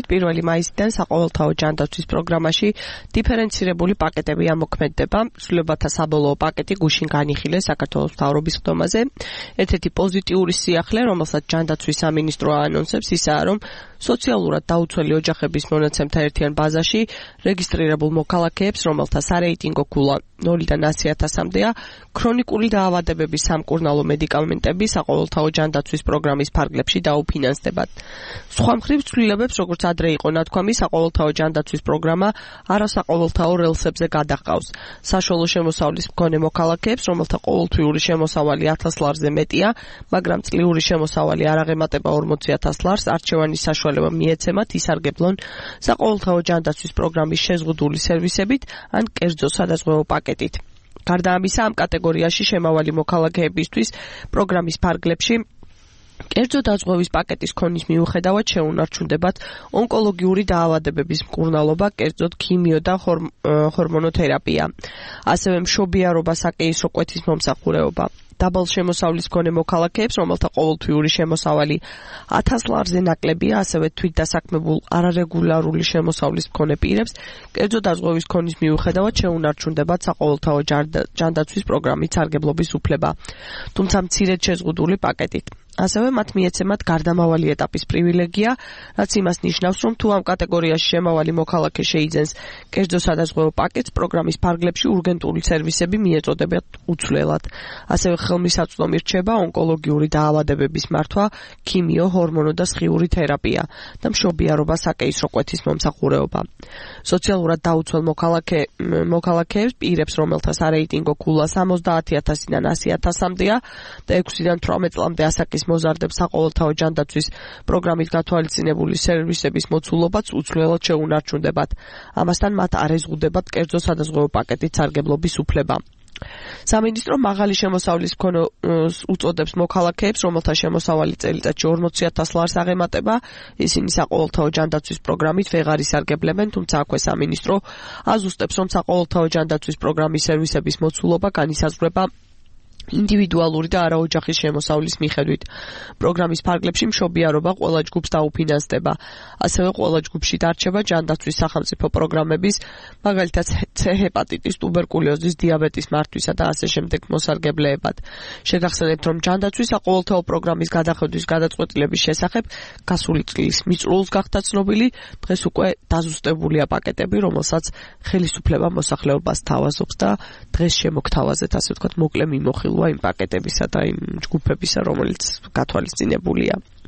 პირველი მაისიდან საყოველთაო ჯანდაცვის პროგრამაში დიფერენცირებული პაკეტები ამოქმედდება. ცვლილებათა საბოლოო პაკეტი გუშინ განიხილეს საქართველოს მთავრობის ხდომაზე. ერთ-ერთი პოზიტიური სიახლე, რომელსაც ჯანდაცვის სამინისტრო აანონსებს, ისაა, რომ სოციალურად დაუცველი ოჯახების მონაცემთა ერთიან ბაზაში რეგისტრირებულ მოქალაქეებს, რომელთა სარეიტინგო ქულა 0-დან 100,000-მდეა, ქრონიკული დაავადებების სამკურნალო მედიკამენტები საყოველთაო ჯანდაცვის პროგრამის ფარგლებში დაუფინანსდებათ. სხვა მხრივ ცვლილებებს, როგორც ადრე იყო ნათქვამი, საყოველთაო ჯანდაცვის პროგრამა არასაყოველთაო რელსებზე გადაჰყავს. საშუალო შემოსავლის მქონე მოქალაქეებს, რომელთა ყოველთვიური შემოსავალი 1000 ლარზე მეტია, მაგრამ წლიური შემოსავალი არ აღემატება 40,000 ლარს, არჩევანის საშუალება მიეცემათ ისარგებლონ საყოველთაო ჯანდაცვის პროგრამის შეზღუდული სერვისებით ან კერძო სადაზღვევო პაკეტით. გარდა ამისა, ამ კატეგორიაში შემავალი მოქალაქეებისთვის პროგრამის ფარგლებში კერძო დაზღვევის პაკეტის ქონის მიუხედავად შეუნარჩუნდებათ ონკოლოგიური დაავადებების მკურნალობა, კერძოდ ქიმიო და ჰორმონოთერაპია, ასევე მშობიარობა, საკეისრო კვეთის მომსახურეობა. დაბალ შემოსავლის მქონე მოქალაქეებს, რომელთა ყოველთვიური შემოსავალი 1000 ლარზე ნაკლებია, ასევე თვითდასაქმებულ არარეგულარული შემოსავლის მქონე პირებს, კერძო დაზღვევის ქონის მიუხედავად შეუნარჩუნდებათ საყოველთაო ჯანდაცვის პროგრამის სარგებლობის უფლება, თუმცა მცირედ შეზღუდული პაკეტით. ასევე მათ მიეცემათ გარდამავალი ეტაპის პრივილეგია, რაც იმას ნიშნავს, რომ თუ ამ კატეგორიაში შემავალი მოქალაქე შეიძენს კერძო სადაზღვევო პაკეტს, პროგრამის ფარგლებში ურგენტული სერვისები მიეწოდებათ უცვლელად. ასევე ხელმისაწვდომი რჩება ონკოლოგიური დაავადებების მართვა, ქიმიო, ჰორმონო და სხიური თერაპია და მშობიარობა, საკეისრო კვეთის მომსახურეობა. სოციალურად დაუცველ მოქალაქეებს, პირებს, რომელთა სარეიტინგო ქულა 70,000-დან 100,000-მდეა და 6-დან 18 წლამდე ასაკის მოზარდებს საყოველთაო ჯანდაცვის პროგრამის გათვალისწინებული სერვისების მოცულობაც უცვლელად შეუნარჩუნდებათ. ამასთან მათ არ ეზღუდებათ კერძო სადაზღვევო პაკეტით სარგებლობის უფლება. სამინისტრო მაღალი შემოსავლის მქონე უწოდებს მოქალაქეებს, რომელთა შემოსავალი წელიწადში 40,000 ლარს აღემატება, ისინი საყოველთაო ჯანდაცვის პროგრამით ვეღარ ისარგებლებენ, თუმცა აქვე სამინისტრო აზუსტებს, რომ საყოველთაო ჯანდაცვის პროგრამის სერვისების მოცულობა განისაზღვრება ინდივიდუალური და არაოჯახის შემოსავლის მიხედვით. პროგრამის ფარგლებში მშობიარობა ყველა ჯგუფს დაუფინანსდება. ასევე ყველა ჯგუფში დარჩება ჯანდაცვის სახელმწიფო პროგრამების, მაგალითად C ჰეპატიტის, ტუბერკულოზის, დიაბეტის მართვისა და ასე შემდეგ მოსარგებლეებად. შეგახსენებთ, რომ ჯანდაცვის საყოველთაო პროგრამის გადახედვის გადაწყვეტილების შესახებ გასული წლის მიწურულს გახდა ცნობილი, დღეს უკვე დაზუსტებულია პაკეტები, რომელსაც ხელისუფლება მოსახლეობას თავაზობს და დღეს შემოგთავაზეთ, ასე ვთქვათ, მოკლე მიმოხილვა იმ პაკეტებისა და იმ ჯგუფებისა, რომელიც გათვალისწინებულია.